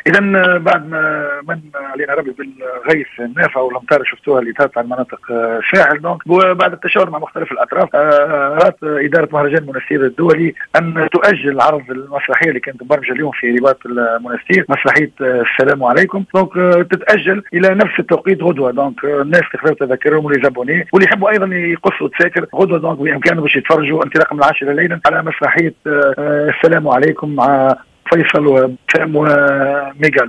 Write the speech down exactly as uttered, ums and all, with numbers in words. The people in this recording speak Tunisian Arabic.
اذا بعد ما من علينا ربي بالغيث النافع والامطار شفتوها اللي تهبط على المناطق الساحل، donc وبعد التشاور مع مختلف الاطراف رات ادارة مهرجان المنستير الدولي ان تؤجل عرض المسرحية اللي كانت مبرمجه اليوم في رباط المنستير، مسرحية السلام عليكم، donc تتاجل الى نفس التوقيت غدوه. donc الناس اللي خذوا تذاكرهم و les abonnés واللي يحبوا ايضا يقصوا تساكر غدوه، donc بامكانهم باش يتفرجوا انطلاقا من العاشرة ليلا على مسرحية السلام عليكم مع فيصل وسام وميغالو.